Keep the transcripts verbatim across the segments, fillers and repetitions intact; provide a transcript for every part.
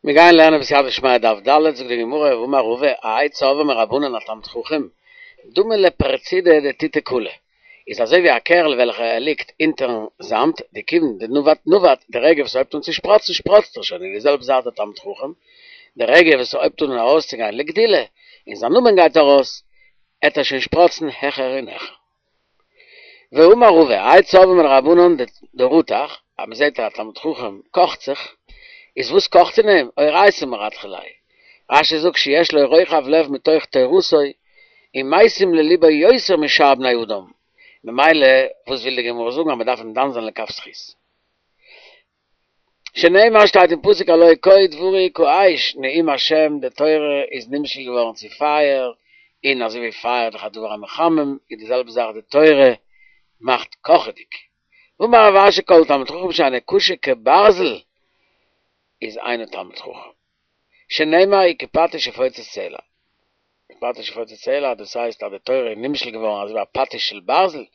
מיר גייען לערנען בסייעתא דשמיא דף ד', זאגט די גמרא, ואמר רבא, האי צורבא מרבנן א תלמיד חכם, דמי לפרצידא דתיתי קלא, איז אזוי ווי א קערל וועלכע ער ליגט אונטערן זאמד, דכיון דנבט נבט, די רגע וואס ער הויבט אן צו שפראצן שפראצט ער שוין, און די זעלבע זאך דער תלמיד חכם, די רגע וואס ער הויבט אן ארויסצוגיין לגדילה, און זיין נאמען גייט ארויס, עט ער שוין שפראצן העכער און העכער. ואמר רבא, האי צורבא מדרבנן דרתח, אז מען זעט אז א תלמיד חכם קאכט זיך, איז וואס קאכט אין אים? אורייתא מרתחא ליה. רש"י זאגט שיש לו רוחב לב מתוך תורתו, און משים לליבו יותר משאר בני אדם, ממילא וואס וויל די גמרא זאגן אז מען דארף אים דן זיין לכף זכות? שנאמר שטייט אין פסוק הלא כה דברי כאש נאום השם די תורה איז נמשל געווארן צו פייער, און אזוי ווי פייער איז דאך א דבר המחמם, איז די זעלבע זאך די תורה מאכט קאכעדיג. ואמר רב אשי כל תלמיד חכם שאינו קשה כברזל איז אינו תלמיד חכם. שנאמר וכפטיש יפוצץ סלע. כפטיש יפוצץ סלע דאס הייסט אז די תורה איז נמשל געווארן אזוי ווי א פטיש של ברזל,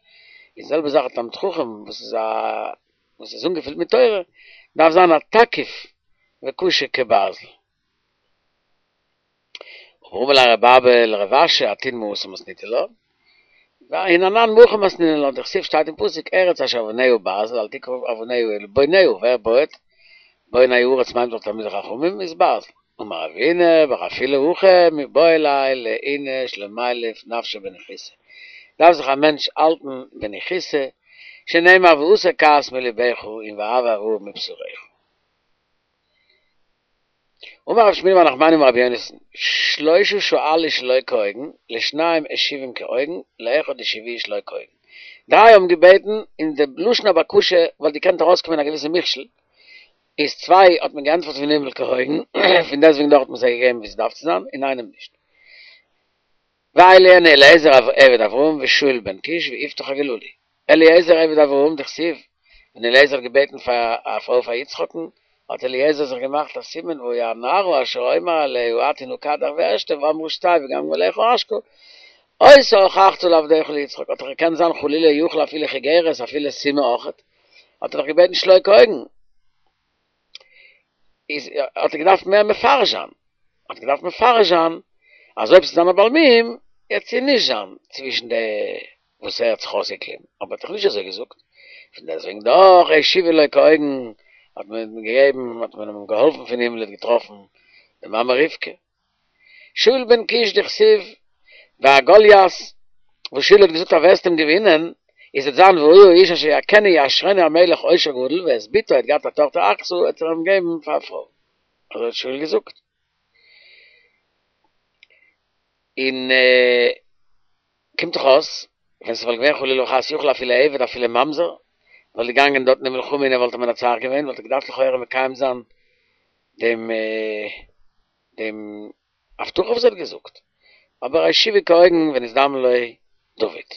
איז די זעלבע זאך א תלמיד חכם וואס איז א וואס איז אנגעפילט מיט תורה דארף זיין א תקיף וקשה כברזל. אמר ליה רבי אבא לרב אשי אתון מהתם מתניתו לה, והן אנן מהכא מתנינן לה, דכתיב שטייט אין פסוק ארץ אשר אבניה ברזל אל תקרא אבניה אלא בוניה, ווער בויעט? בוני הארץ מיינט דאך תלמידי חכמים איז ברזל. אמר רבינא בר אפילו הכי מיבעי ליה לאיניש למילף נפשיה בניחותא, דארף זיך א מענטש האלטן בניחותא, שנאמר והסר כעס מלבך און ואהבה הרעה מבשרך. אמר רב שמואל בר נחמני אמר רבי יונתן, שלשה שאלו שלא כהוגן, לשניים השיבום כהוגן, לאחד השיבוהו שלא כהוגן. דריי האבן געבעטן אין די לשון הבקשה וואלט געקענט ארויסקומען א געוויסע מכשול, איז צוויי האט מען געענטפערט פון הימל כהוגן, פון דעסטוועגן דאך האט מען זיי געגעבן ווי ס'דארף צו זיין, און איינעם נישט. ואלו הן אליעזר עבד אברהם ושאול בן קיש ויפתח הגלעדי. אליעזר עבד אברהם דכתיב, ווען אליעזר האט געבעטן פאר א פרוי פאר יצחק'ן, האט אליעזר זיך געמאכט א סימן והיה הנערה אשר אומר אליה הטי נא כדך ואשתה ואמרה שתה וגם גמליך אשקה, אותה הוכחת לעבדך ליצחק, האט דאך געקענט זיין חלילה יכול אפילו חיגרת אפילו סומא אויכעט, האט ער דאך געבעטן שלא כהוגן, איז האט ער געדארפט מער מפרש זיין, האט ער געדארפט מפרש זיין אז אויב ס'איז זיין א בעל מום, וועט זי נישט זיין צווישן די וואס ער האט זיך אויסגעקליבן, אבער האט דאך נישט אזוי געזאגט, פון דעסטוועגן דאך השיבו לו כהוגן, האט מען אים געגעבן, האט מען אים געהאלפן פון הימל, ער האט געטראפן די מאמע רבקה. שאול בן קיש דכתיב והגוליית, וואס שאול האט געזאגט אז וועסט אים געווינען, איז וועט זיין והיה האיש אשר יכנו יעשרנו המלך עושר גדול, ואת בתו האט געהאט א טאכטער עכסה וועט ער אים געבן פאר א פרוי, אזוי האט שאול געזאגט. און קומט דאך אויס, ווען ס'וואלט געווען חלילה וחס יכול אפילו עבד אפילו ממזר, וואלט געגאנגען דארט אין די מלחמה און ער וואלט אים מנצח געווען, וואלט ער געדארפט לכאורה מקיים זיין דעם דעם הבטחה וואס ער האט געזאגט, אבער השיבו כהוגן ונזדמן לו דוד.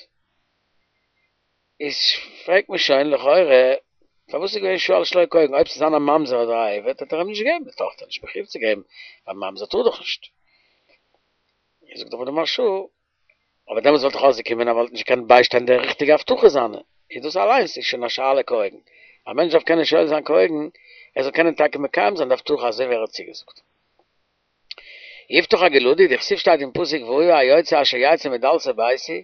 איז פרעגט מען שוין לכאורה, פארוואס איז געווען שאל שלא כהוגן, אויב ס'איז זיין א ממזר אדער א עבד האט ער אים נישט געגעבן די טאכטער, נישט מחויב צו געבן, ווייל ממזר טאר דאך נישט. זאגט אבער די מהרש"א, אבער דעמאלטס וואלט דאך אויסגעקומען אז ער וואלט נישט געקענט ביישטיין די ריכטיגע הבטחה זיינע, איז דאס אליינס איז שוין א שאלה כהוגן, א מענטש דארף קענען שואל זיין כהוגן, ער זאל קענען טאקע מקיים זיין די הבטחה אזוי ווי ער האט צוגעזאגט. יפתח הגלעדי, דכתיב שטייט אין פסוק והיה היוצא אשר יצא מדלתי ביתי,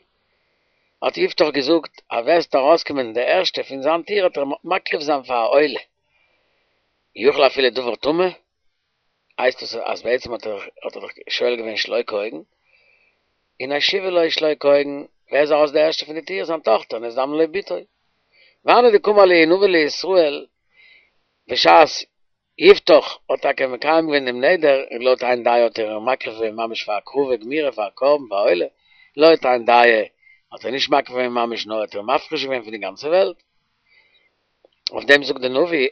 האט יפתח געזאגט אז ווער ס'וועט ארויסקומען די ערשטע פון זיין טיר וועט ער מקריב זיין פאר א עולה, יכול אפילו דבר טמא, הייסט עס אז בעצם האט ער האט ער דאך שואל געווען שלא כהוגן, און השיבו לו שלא כהוגן, ווער איז ארויס די ערשטע פון די טיר? זיין טאכטער, נזדמנה לו בתו. והני דקאמר להו נביא לישראל, בשעת יפתח האט טאקע מקיים געווען דעם נדר, און לויט איין דעה האט ער איר מקריב געווען ממש פאר הקרבה גמורה פאר א קרבן פאר א עולה, לויט איין דעה האט ער נישט מקריב געווען ממש נאר האט איר מפריש געווען פון די גאנצע וועלט. אויף דעם זאגט די נביא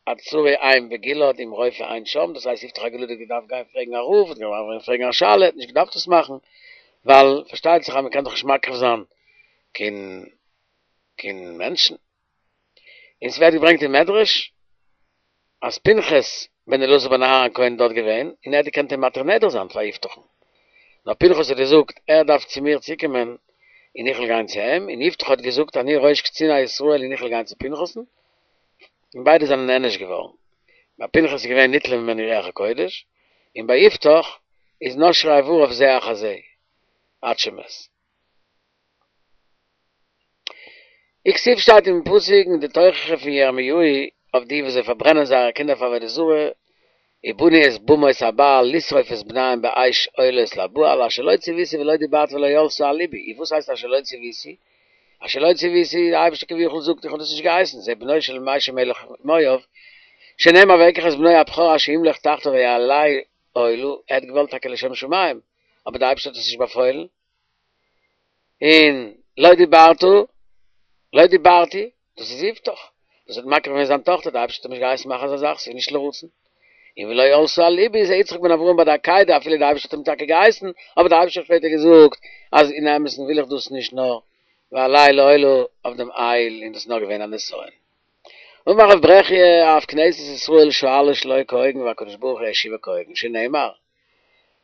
הצרי אין בגלעד אם רופא אין שם, דאס הייסט יפתח הגלעדי האט געדארפט גיין פרעגן א רב, האט געדארפט גיין פרעגן א שאלה, האט נישט געדארפט עס מאכן, ווייל פארשטייט זיך אז מען קען דאך נישט מקריב זיין קיין קיין מענטשן. און ס'ווערט געברענגט אין מדרש אז פנחס בן אלעזר בן אהרן הכהן איז דארט געווען, און ער האט געקענט אים מתיר נדר זיין פאר יפתח'ן, נאר פנחס האט געזאגט ער דארף צו מיר צוקומען און איך וועל גיין צו אים, און יפתח האט געזאגט אני ראש קציני ישראל און איך וועל גיין צו פנחס'ן, און ביידע זענען נענש געווארן. ביי פנחס איז געווען ניטלה ממנו רוח הקודש, און ביי יפתח איז נשרו אבריו זה אחר זה עד שמת. וכתיב שטייט אין פסוק אין די תוכחה פון ירמיהו אויף די וואס זיי פארברענען זייערע קינדער פאר עבודה זרה, ובנו את במות הבעל לשרוף את בניהם באש עולות לבעל אשר לא צויתי ולא דיברתי ולא עלתה על לבי, און וואס הייסט אשר לא צויתי? אשר לא צויתי, די אייבערשטער כביכול זאגט איך האב דאס נישט געהייסן, זה בנו של מישע מלך מואב, שנאמר ואקח את בנו הבכור אשר ימלוך תחתיו ויעלהו עולה, ער האט געוואלט טאקע לשם שמים, אבער די אייבערשטער האט עס נישט באפוילן, און לא דיברת, לא דיברתי, דאס איז יפתח, וואס האט מקריב געווען זיין טאכטער, די אייבערשטער האט אים נישט געהייסן מאכן אזא זאך, ס'איז נישט לרצון. און ולא עלתה על לבי איז יצחק בן אברהם ביי די עקידה, אפילו די אייבערשטער האט אים טאקע געהייסן, אבער די אייבערשטער האט שפעטער געזאגט אז אין אמת'ן וויל איך דאס נישט נאר ויעלהו לעולה אויף דעם איל, און דאס איז נאר געווען א נסיון. אמר רב ברכיה אף כנסת ישראל שואלה שלא כהוגן והקדוש ברוך הוא השיבה כהוגן, שנאמר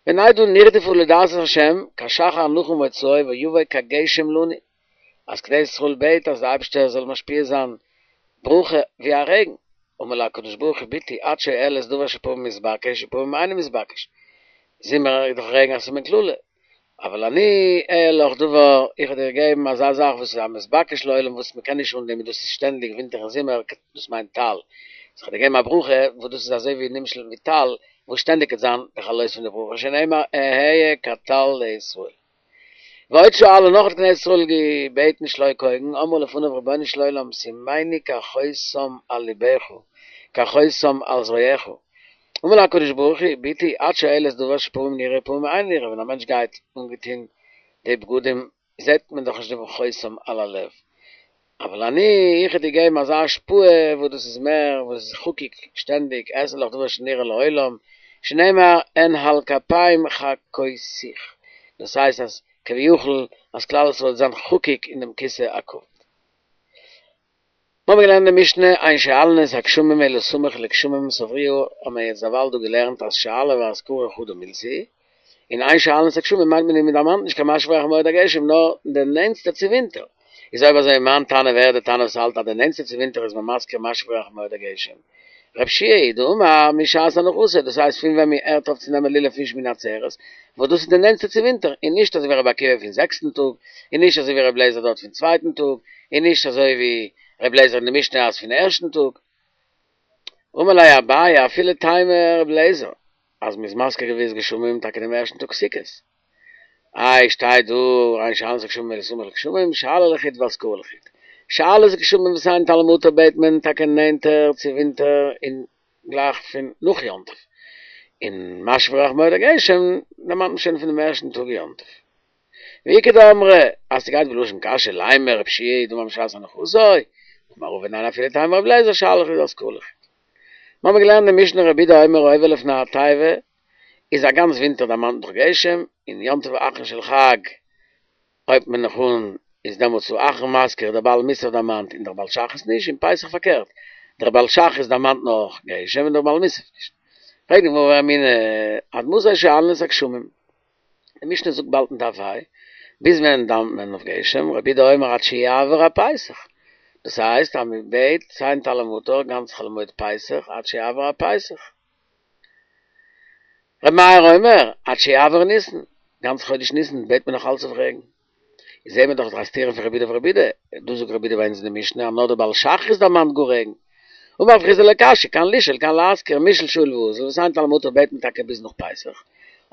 ונדעה נרדפה לדעת את השם כשחר נחם מוצאו ויבוא כגשם לנו, אז כנסת ישראל בעט אז די אייבערשטער זאל משפיע זיין ברכה ווי א רעגן, אמר לה הקדוש ברוך הוא בתי את שואלת דבר שפעמים מתבקש ופעמים אינו מתבקש, זומער איז דאך רעגן א סימן קללה, אבל אני אען לך דבר, איך וועל דיר געבן אזא זאך וואס איז א מתבקש לעולם וואס מען קען נישט אן דעם און דאס איז שטענדיג ווינטער און זומער, דאס מיינט טל, אז איך וועל דיר געבן א ברכה וואס דאס איז אזוי ווי נמשל ווי טל וואס שטענדיג וועט זיין די חלות פון די ברכה שנאמר אהיה כטל לישראל. ועוד שאלה נאך האט כנסת ישראל געבעטן שלא כהוגן, אמרה לפניו רבונו של עולם שימני כחותם על לבך כחותם על זרועך, אמר לה הקדוש ברוך הוא בתי את שואלת דבר שפעמים נראה ופעמים אינו נראה, ווען א מענטש גייט אנגעטון די בגדים זעט מען דאך נישט דעם חותם על הלב, אבל אני איך וועל דיר געבן אזא השפעה וואס דאס איז מער וואס איז חקוק שטענדיג אעשה לך דבר שנראה לעולם שנאמר אנהל כפים חקותיך דאס הייסט אז כביכול אז כלל ישראל וועט זיין חקוק אין דעם כסא הכבוד. מיר האבן געלערנט אין די משנה אין שואלין את הגשמים אלא סמוך לגשמים סברוה האבן מיר יעצט דערווייל דא געלערנט אז שאלה והזכרה חדא מילתא היא, און אין שואלין את הגשמים מיינט מען מען דערמאנט נישט קיין משיב הרוח ומוריד הגשם נאר די נענטסטע צו ווינטער, איז אויב אזוי מאן תנא ווער איז די תנא וואס האלט אז די נענטסטע צו ווינטער איז מען מזכיר משיב הרוח ומוריד הגשם? רב שיע היא דאמר משעת הנחתו דאס הייסט פון ווען מען הערט אויף צו נעמען לולב פון שמיני עצרת וואס דאס איז די נענטסטע צו ווינטער און נישט אזוי ווי רבי עקיבא פון זעקסטן טאג און נישט אזוי ווי רבי אליעזר דארט פון צווייטן טאג און נישט אזוי ווי רבי אליעזר אין די משנה אז פון ערשטן טאג. אמר ליה אביי אפילו תימא רבי אליעזר אז מ'איז מזכיר גביית גשמים טאקע דעם ערשטן טאג סוכות. איי שטייט דא אין שואלין את הגשמים אלא סמוך לגשמים שאלה לחוד והזכרה לחוד. שאלת גשמים ותן טל ומטר בעט מען טאקע נענטער צו ווינטער און גלייך פון נאך יום טוב. און משיב הרוח ומוריד הגשם דערמאנט מען שוין פונעם ערשטן טאג יום טוב. ואיכא דאמרי אז ס'גייט בלשון קשיא לימא רב שיע היא דאמר משעת הנחתו, אמר רבא ניין אפילו תימא רבי אליעזר שאלה לחוד והזכרה לחוד. מיר האבן געלערנט אין משנה רבי יהודה אומר העובר לפני התיבה איז א גאנץ ווינטער דערמאנט נאך גשם, און יום טוב אחרון של חג הויבט מען נאך אן איז דעמאלטס האחרון מזכיר דער בעל מוסף דערמאנט און דער בעל שחרית נישט, און פסח פארקערט דער בעל שחרית דערמאנט נאך גשם און דער בעל מוסף נישט. פרעגט די גמרא ורמינהו עד מתי שואלין את הגשמים? די משנה זאגט באלד אין דף ה', ביז ווען דאווענט מען אויף גשם? רבי יהודה אומר עד שיעבור הפסח, דאס הייסט אז מען בעט ותן טל ומטר גאנץ חול המועד פסח עד שיעבור הפסח. רבי מאיר אומר עד שיעבור ניסן, גאנץ חודש ניסן בעט מען נאך אלץ אויף רעגן. איז זעהן מיר דאך א סתירה פון רבי יהודה אויף רבי יהודה, דא זאגט רבי יהודה ביי אונז אין די משנה אז נאר דער בעל שחרית דערמאנט גאר רעגן. אמר רב חסדא לא קשיא, כאן לשאול כאן להזכיר, מישאל שאיל ואזיל, ותן טל ומטר בעט מען טאקע ביז נאך פסח,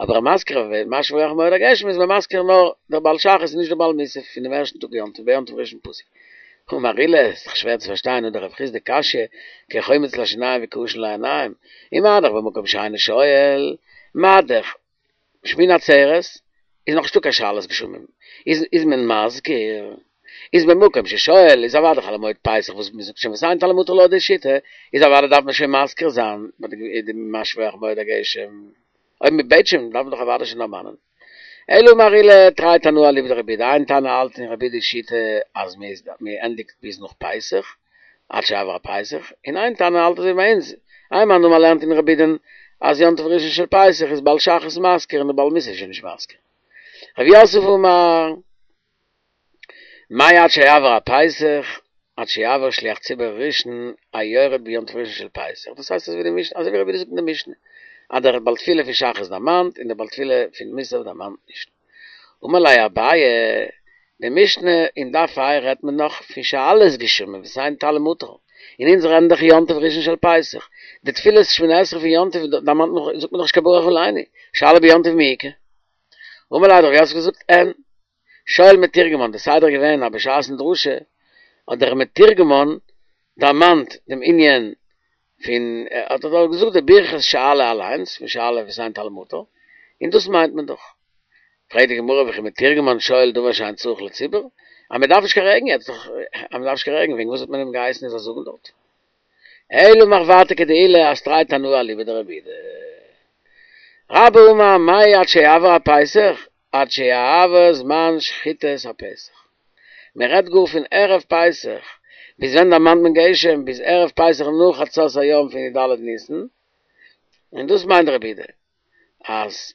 אבער המזכיר משיב הרוח ומוריד הגשם איז מען מזכיר נאר דער בעל שחרית און נישט דער בעל מוסף פונעם ערשטן טאג יום טוב ביום טוב ראשון פסוק. אמר עולא, איז דאך שווער צו פארשטיין הא דרב חסדא קשיא, כחומץ לשיניים וכעשן לעיניים, ומה דאך במקום שאינו שואל, מה דאך שמיני עצרת איז נאך נישטא קיין שאלת גשמים, איז איז מען מזכיר, איז במקום ששואל איז אוודאי חול המועד פסח וואס מען זאגט שוין ותן טל ומטר לויט די שיטה, איז אוודאי דארף מען שוין מזכיר זיין ביי די משיב הרוח ומוריד הגשם, אויב מען בעט שוין דארף מען דאך אוודאי שוין דערמאנען. אלא אמר עולא תרי תנאי אליבא דרבי יהודה, איין תנא האלט אין רבי יהודה'ס שיטה אז מען איז מען ענדיגט ביז נאך פסח, עד שיעבור הפסח, און איין תנא האלט אזוי ווי ביי אונז, איין מאן דאמר לערנט אין רבי יהודה'ן אז יום טוב ראשון של פסח איז בעל שחרית מזכיר און דער בעל מוסף איז שוין נישט מזכיר. רב יוסף אמר מאי עד שיעבור הפסח, עד שיעבור שליח ציבור ראשון היורד ביום טוב ראשון של פסח, דאס הייסט אזוי ווי די משנה, אזוי ווי רבי יהודה זאגט אין די משנה, אז דער בעל תפילה פון שחרית דערמאנט און דער בעל תפילה פון מוסף דערמאנט נישט. אמר ליה אביי, די משנה אין דף ה' רעדט מען נאך פון שאלת גשמים ותן טל ומטר, און אונז רעדן דאך יום טוב ראשון של פסח, די תפילת שמונה עשרה פון יום טוב דערמאנט מען זאגט מען דאך נישט קיין ברך עלינו, שאלה ביום טוב מי איכא? אמר ליה האט רב יוסף געזאגט אין שואל מתורגמן, די סדר איז געווען אז בשעת'ן דרשה האט דער מתורגמן דערמאנט דעם ענין פון האט ער דאך געזאגט די ברכת שאלה אליינס פון שאלה ותן טל ומטר, און דאס מיינט מען דאך. פרעגט די גמרא וכי מתורגמן שואל דבר שאין צריך לציבור, אז מען דארף נישט קיין רעגן יעצט דאך, אז מען דארף נישט קיין רעגן וועגן וואס האט מען אים געהייסן ער זאל זאגן דארט? אלא מחוורתא כדעולא אז תרי תנאי אליבא דרבי יהודה. רבה אמר מאי עד שיעבור הפסח, עד שיעבור זמן שחיטת הפסח. מען רעדט גאר פון ערב פסח, ביז ווען דערמאנט מען גשם? ביז ערב פסח נאך חצות היום פון י"ד ניסן, און דאס מיינט רבי יהודה אז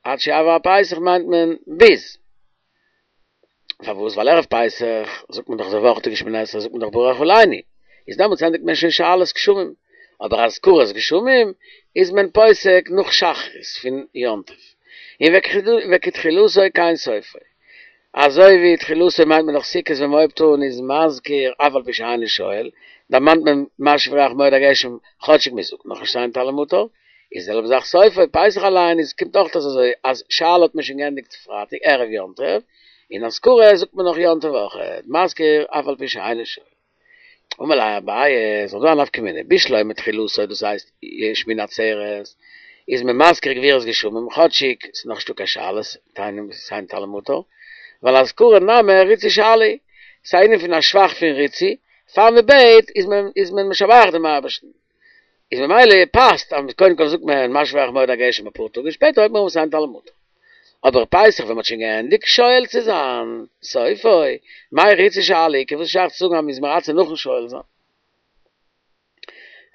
עד שיעבור הפסח מיינט מען ביז. פארוואס? ווייל ערב פסח זאגט מען דאך די וואכעדיגע שמונה עשרה זאגט מען דאך ברך עלינו, איז דעמאלטס ענדיגט מען שוין שאלת גשמים, אבער אזכרת גשמים איז מען פוסק נאך שחרית פון יום טוב, און וכתחילתו כן סופו, אזוי ווי תחילתו מיינט מען נאך סוכות ווען מען הויבט אן איז מזכיר אף על פי שאינו שואל, דערמאנט מען משיב הרוח מוריד הגשם כאטשיג מען זאגט נאכנישט ותן טל ומטר, איז די זעלבע זאך סופו, פסח אליין איז קומט אויך אויס אזוי אז שאלה האט מען שוין געענדיגט פרייטאג ערב יום טוב, און אזכרה זאגט מען נאך יום טוב אויכעט, מזכיר אף על פי שאינו שואל. אמר ליה אביי, ס'איז דא א נפקא מינה, בשלמא תחילתו דאס הייסט שמיני עצרת, איז מען מזכיר גבורות גשמים כאטשיג ס'איז נאך נישטא קיין שאלת ותן טל ומטר, ווייל אזכרה נמי ריצוי שאלה היא, ס'איז א ענין פון א שבח פון ריצוי, פאר מען בעט איז מען איז מען משבח דעם אייבערשטן. איז ממילא פאסט אז קודם כל זאגט מען משיב הרוח מוריד הגשם אפאר טאג און שפעטער הויבט מען אן ותן טל ומטר. אבער פסח ווען מ'האט שוין געענדיגט שואל צו זיין, סופו, מאי ריצוי שאלה איכא, וואס איז שייך צו זאגן אז מ'איז מרצה נאכן שואל זיין?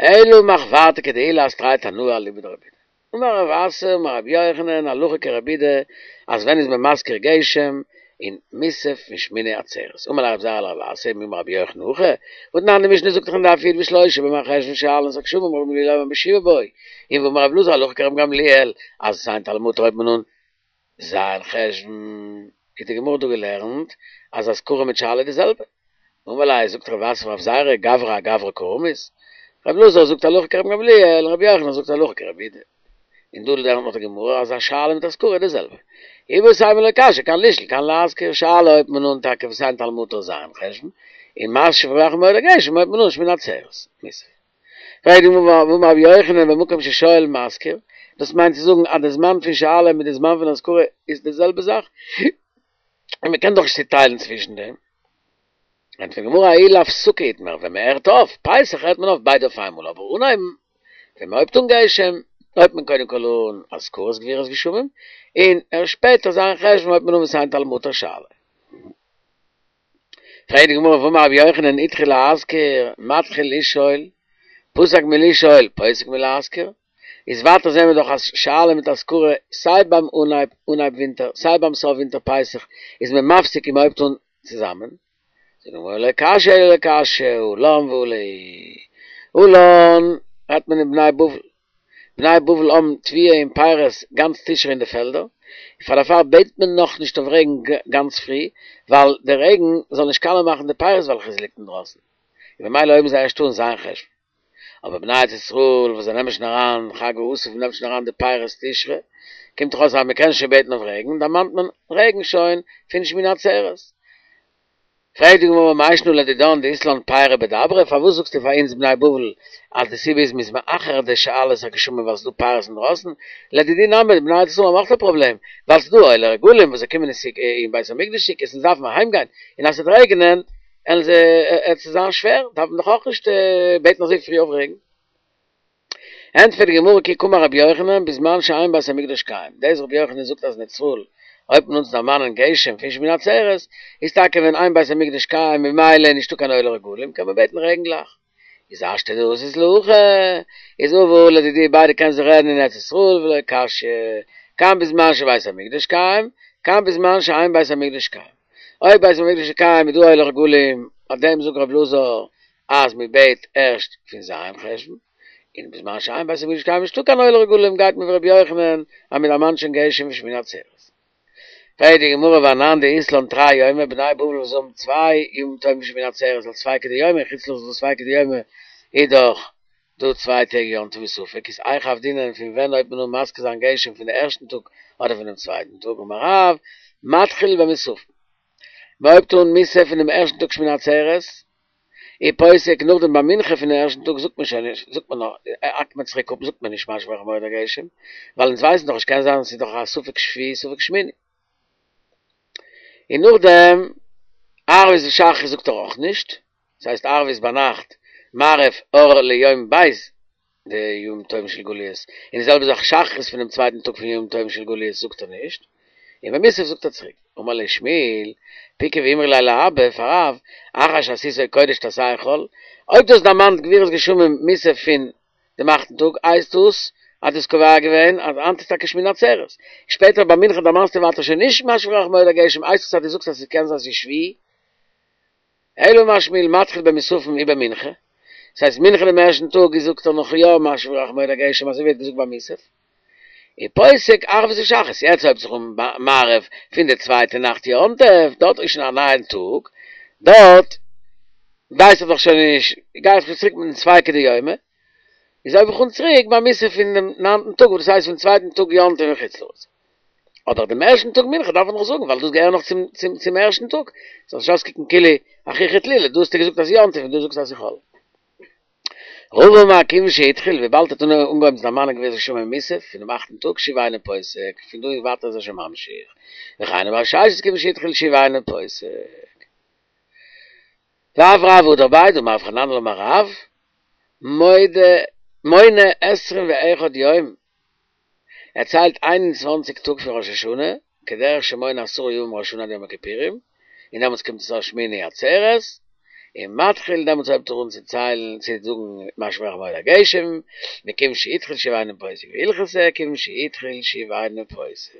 אלא מחוורתא כדעולא אז תרי תנאי אליבא דרבי יהודה. אמר רב אסי אמר רבי יוחנן הלכה כרבי יהודה אז ווען איז מען מזכיר גשם אין מוסף פון שמיני עצרת. אמר ליה רב זירא לרב אסי מי אמר רבי יוחנן הכי, והתנן די משנה זאגט דאך אין דף י' בשלושה במרחשוון שואלין את הגשמים רבן גמליאל אומר בשבעה בו, און ואמר רבי אלעזר הלכה כרבן גמליאל אז ותן טל ומטר הויבט מען אן ז' חשוון, האט די גמרא דא געלערנט אז אזכרה מיט שאלה איז די זעלבע. אמר ליה זאגט רב אסי פאר רב זירא גברא אגברא קא רמית, רבי אלעזר זאגט הלכה כרבן גמליאל און רבי יוחנן זאגט הלכה כרבי יהודה. און דא לערנט נאך די גמרא אז א שאלה מיט אזכרה איז די זעלבע. איבעית אימא לא קשיא כאן לשאול כאן להזכיר, שאלה הויבט מען אן טאקע ותן טל ומטר ז' חשוון, און משיב הרוח ומוריד הגשם הויבט מען אן שמיני עצרת, מוסף. פרעגט די גמרא והאמר רבי יוחנן במקום ששואל מזכיר, דאס מיינט צו זאגן אז די זמן פון שאלה מיט די זמן פון אזכרה איז די זעלבע זאך, און מען קען דאך נישט צוטיילן צווישן דעם. ענטפערט די גמרא ההוא לאפסקה איתמר, ווען מען הערט אויף פסח הערט מען אויף ביידע אויף איינמאל, אבער אנהייבן ווען מען הויבט אן גשם הויבט מען קודם כל אן אזכרת גבורות גשמים, און ערשט שפעטער ז' חשוון הויבט מען אן ותן טל ומטר שאלה. פרעגט די גמרא והאמר רבי יוחנן התחיל להזכיר מתחיל לשאול, פסק מלשאול פוסק מלהזכיר, איז ווייטער זעהן מיר דאך אז שאלה מיט אזכרה סיי ביים אנהייב אנהייב ווינטער סיי ביים סוף ווינטער פסח איז מען מפסיק און מען הויבט אן צוזאמען, זאגט די גמרא לא קשיא אלא לא קשיא הא לן והא להו, הא לן רעדט מען אין בני בבל, בני בבל האבן תבואה און פירות גאנץ תשרי אין די פעלדער, פאר דערפאר בעט מען נאך נישט אויף רעגן גאנץ פרי, ווייל די רעגן זאל נישט קאלע מאכן די פירות וועלכע עס ליגט אינדרויסן, און ממילא הויבן זיי ערשט אן ז' חשוון. אבער בני ארץ ישראל וואס זיי נעמען שוין אריין חג האסיף און נעמט שוין אריין די פירות תשרי, קומט דאך אויס אז מען קען שוין בעטן אויף רעגן, דערמאנט מען רעגן שוין פון שמיני עצרת. פרעגט די גמרא מאי שנא לדידן דאית לן פירי בדברא, פארוואס זאגסטו פאר אונז בני בבל אז די סיבה איז מ'איז מאחר די שאלת הגשמים ווייל ס'איז דא פירות אינדרויסן, לדידהו נמי די בני ארץ ישראל האבן אויך א פראבלעם ווייל ס'איז דא עולי רגלים וואס זיי קומען אין בית המקדש סוכות און זיי דארפן אהיים גיין און אז ס'וועט רעגענען עלן זיי עט עס זיין שווער דארף מען דאך אויך נישט בעטן אזוי פרי אויף רעגן. ענטפערט די גמרא כי קאמר רבי יוחנן בזמן שאין בית המקדש קיים, דאס רבי יוחנן זאגט אז אין ארץ ישראל הויבט מען אן צו דערמאנען גשם פון שמיני עצרת, איז טאקע ווען אין בית המקדש קיים ממילא איז נישטא קיין עולי רגלים קען מען בעטן רעגן גלייך, איז השתא דאתית להכי, איז הא והא לדידהו ביידע קען זיך רעדן אין ארץ ישראל ולא קשיא, כאן בזמן שבית המקדש קיים, כאן בזמן שאין בית המקדש קיים. אויב בית המקדש איז קיים איז דא עולי רגלים אויף דעם זאגט רבי אלעזר אז מען בעט ערשט פון ז' חשוון, און בזמן שאין בית המקדש קיים נישטא קיין עולי רגלים גייט מען ווי רבי יוחנן אז מען דערמאנט שוין גשם פון שמיני עצרת. פרעגט די גמרא ואנן דאית לן תרי יומי בני בבל וואס האבן צוויי ימים טובים פון שמיני עצרת אלס ספיקא דיומא אין חוץ לארץ איז דא ספיקא דיומא איז דאך דא צוויי טעג יום טוב וספק איז איך עבדינן פון ווען הויבט מען אן מזכיר זיין גשם פון די ערשטן טאג אדער פונעם צווייטן טאג אמר רב מתחיל במוספין מען הויבט אן מוסף פונעם ערשטן טאג שמיני עצרת ופוסק נאכדעם ביי מנחה פונעם ערשטן טאג זאגט מען שוין נישט זאגט מען נאך האקט מען צוריק אפ זאגט מען נישט משיב הרוח מוריד הגשם ווייל אונז ווייסן דאך נישט קען זיין ס'איז דאך א ספק שביעי ספק שמיני און נאכדעם ערבית ושחרית זאגט ער אויך נישט ס'הייסט ערבית ביינאכט מעריב אור ליום ב' דימים טובים של גליות און די זעלבע זאך שחרית פונעם צווייטן טאג פון ימים טובים של גליות זאגט ער נישט און ביי מוסף זאגט ער צוריק אמר ליה שמואל פקעי ואמרי ליה לאבא פאר רב אחר שעשיתו קודש תעשהו חול אויב דו האסט דערמאנט גבורות גשמים מוסף פון דעם אכטן טאג הייסט דאס אז דו האסט קובע געווען אז היינט איז טאקע שמיני עצרת שפעטער ביי מנחה דערמאנסטו ווייטער שוין נישט משיב הרוח מוריד הגשם הייסט עס אז דו זאגסט אז ס'קען זיין ס'איז שביעי אלא אמר שמואל מתחיל במוספין ובמנחה דאס הייסט מנחה דעם ערשטן טאג איז זאגט ער נאך יא משיב הרוח מוריד הגשם אזוי ווי ער האט געזאגט ביי מוסף ופוסק ערבית ושחרית יעצט הויבט זיך אן מעריב פון די צווייטע נאכט יום טוב דארט איז שוין א נייען טאג דארט ווייס איך דאך שוין נישט גיי איך שוין צוריק מיטן ספיקא דיומא איז הויב איך אן צוריק ביי מוסף פון דעם ניינטן טאג וואס דאס הייסט פון צווייטן טאג יום טוב אין חוץ לארץ אבער דעם ערשטן טאג מנחה דארף מען נאך זאגן ווייל דאס געהער נאך צום צום צום ערשטן טאג זאל נישט אויסקוקן כאילו אחוכי תלולא דא האסטו געזאגט אז יום טוב און דא זאגסטו אז ס'איז חול. רבא אמר כיוון שהתחיל וויבאלד ער האט אנגעהויבן צו דערמאנען גבורות גשמים מוסף פונעם אכטן טאג שוב אינו פוסק פון דא און ווייטער איז ער שוין ממשיך וכן אמר רב ששת כיוון שהתחיל שוב אינו פוסק ואף רב הדר ביה דאמר רב חננאל אמר רב מודה מונה עשרים ואחד יום ער ציילט איין און צוואנציג טאג פון ראש השנה כדרך שמונה עשרה ימים מראש השנה עד יום הכיפורים און דעמאלטס קומט עס אויס שמיני עצרת און מתחיל דעמאלטס הויבט ער אן צו ציילן צו זאגן משיב הרוח מוריד הגשם מכיוון שהתחיל שוב אינו פוסק והלכתא כיוון שהתחיל שוב אינו פוסק.